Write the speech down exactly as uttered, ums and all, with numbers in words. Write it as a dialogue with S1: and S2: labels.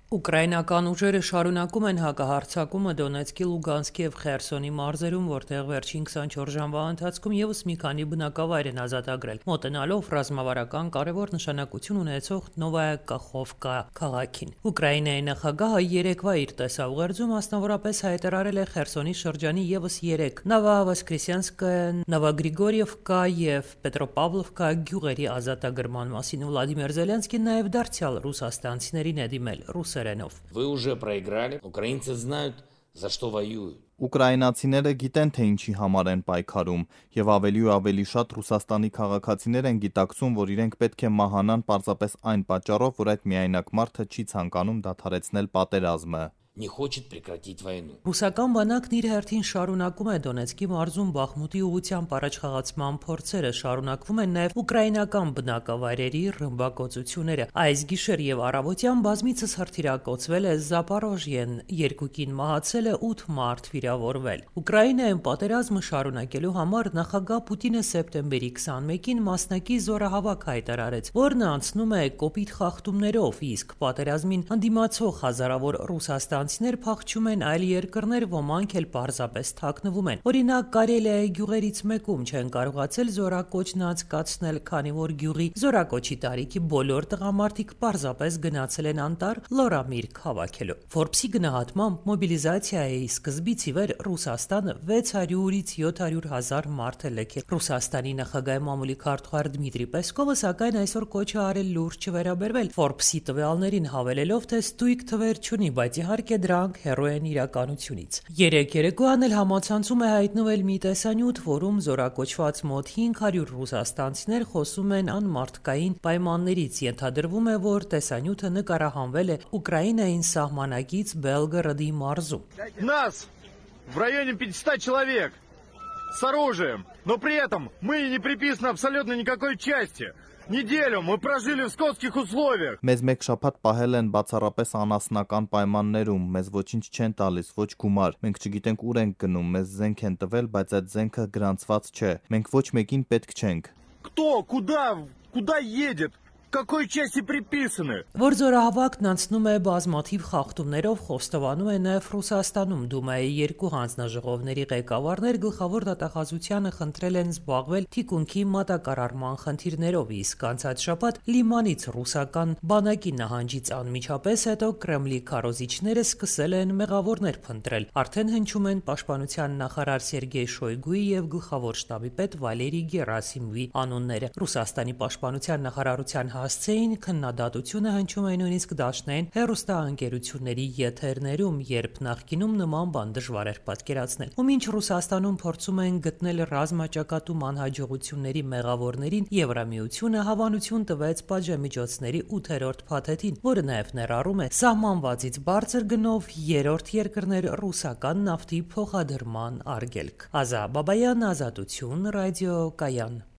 S1: Ուկրաինական ուժերը շարունակում են հակահարձակումը Դոնեցկի, Լուգանսկի եւ Խերսոնի մարզերում, որտեղ վերջին քսանչորս ժամվա ընթացքում եւս մի քանի բնակավայր են ազատագրել, մոտենալով ռազմավարական կարևոր նշանակություն ունեցող Նովայա Կախովկա քաղաքին։ Ուկրաինայի նախագահը երեկվա իր տեսաուղերձում մասնավորապես հայտարարել է Խերսոնի շրջանի եւս երեք Նովովոսկրեսենսկը, Նովոգրիգորիևկա եւ Պետրոպավլովկա գյուղերի ազատագրման մասին։ Վլադիմիր Զելենսկին նաեւ դարձյալ ռուսաստանցիներին է դիմել ռուսերենով։
S2: Вы уже проиграли. Украинцы знают, за что воюют.
S3: Ուկրաինացիները գիտեն, թե ինչի համար են պայքարում, եւ ավելի ու ավելի շատ Ռուսաստանի քաղաքացիներ են գիտակցում, որ իրենք պետք է մահանան պարզապես այն պատճառով, որ այդ միայնակ մարդը չի ցանկանում դադարեցնել պատերազմը։
S2: Не хочет прекратить войну.
S1: Ռուսական բանակն իր հերթին շարունակում է Դոնեցկի մարզում Բախմուտի ուղղությամբ առաջխաղացման փորձերը, շարունակվում են նաև ուկրաինական բնակավայրերի ռմբակոծությունները։ Այս գիշեր եւ առավոտյան բազմիցս հրթիռակոծվել է Զապորոժիեն, երկու կին մահացել է, ութ մարդ վիրավորվել։ Ուկրաինայում պատերազմը շարունակելու համար նախագահ Պուտինը սեպտեմբերի քսանմեկին մասնակի զորահավաք հայտարարեց, որն անցնում է կոպիտ խախտումներով, իսկ պատերազմին հանդիմացող հազարավոր ռուսաստան ներ փախչում են այլ երկրներ, ոմանք էլ պարզապես թաքնվում են։ Օրինակ, Կարելիայի գյուղերից մեկում չեն կարողացել զորակոչն անցկացնել, քանի որ գյուղի զորակոչի տարիքի բոլոր տղամարդիկ պարզապես գնացել են անտառ լորամիրգ հավաքելու։ Ֆորբսի գնահատմամբ մոբիլիզացիայի սկզբից ի վեր Ռուսաստանը վեց հարյուրից յոթ հարյուր հազար մարդ է լքել։ Ռուսաստանի նախագահի մամուլի քարտուղար Դմիտրի Պեսկովը սակայն այսօր կոչ է արել լուրջ չվերաբերվել Ֆորբսի տվյալներին, հավելելով, թե ստույգ թվեր չունի, բայց իհարկե դրանք հեռու են իրականությունից։ Երեք երեկոյան էլ համացանցում է հայտնվել մի տեսանյութ, որում զորակոչված մոտ հինգ հարյուր ռուսաստանցիներ խոսում են անմարդկային պայմաններից։ Ենթադրվում է, որ տեսանյութը նկարահանվել է Ուկրաինային սահմանակից Բելգորոդի մարզում։
S4: Нас в районе пятисот человек с оружием, но при этом мы не приписаны абсолютно никакой части. Неделю мы прожили в скотских условиях.
S3: Մեզ մեկ շաբաթ պահել են բացառապես անասնական պայմաններում, մեզ ոչինչ չեն տալիս, ոչ գումար։ Մենք չգիտենք ուր ենք գնում, մեզ զենք են տվել, բայց այդ զենքը գրանցված չէ։ Մենք ոչ մեկին պետք չենք։
S4: Кто, куда, куда едет? Какой части приписаны?
S1: Որ զորահավաքն անցնում է բազմաթիվ խախտումներով, խոստովանում է նաև Ռուսաստանում։ Դումայի երկու հանձնաժողովների ղեկավարներ գլխավոր դատախազությանը խնդրել են զբաղվել թիկունքի մատակարարման խնդիրներով, իսկ անցած շաբաթ Լիմանից ռուսական բանակի նահանջից անմիջապես հետո Կրեմլի քարոզիչները սկսել են մեղավորներ փնտրել։ Արդեն հնչում են պաշտպանության նախարար Սերգեյ Շոյգուի եւ գլխավոր շտաբի պետ Վալերի Գերասիմովի անունները։ Ռուսաստանի պաշտպանության նախարարության հասցեին քննադատությունը հնչում է նույնիսկ դաշնային հեռուստաընկերությունների եթերներում, երբ նախկինում նման բան դժվար էր պատկերացնել։ Ու մինչ Ռուսաստանում փորձում են գտնել ռազմաճակատում անհաջողությունների մեղավորներին, Եվրամիությունը հավանություն տվեց պատժամիջոցների ութերորդ փաթեթին, որը նաև ներառում է սահմանվածից բարձր գնով երրորդ երկրներ ռուսական նավթի փոխադրման արգելք։ Ազա Բաբայան, Ազատություն, ռադիո Կայան։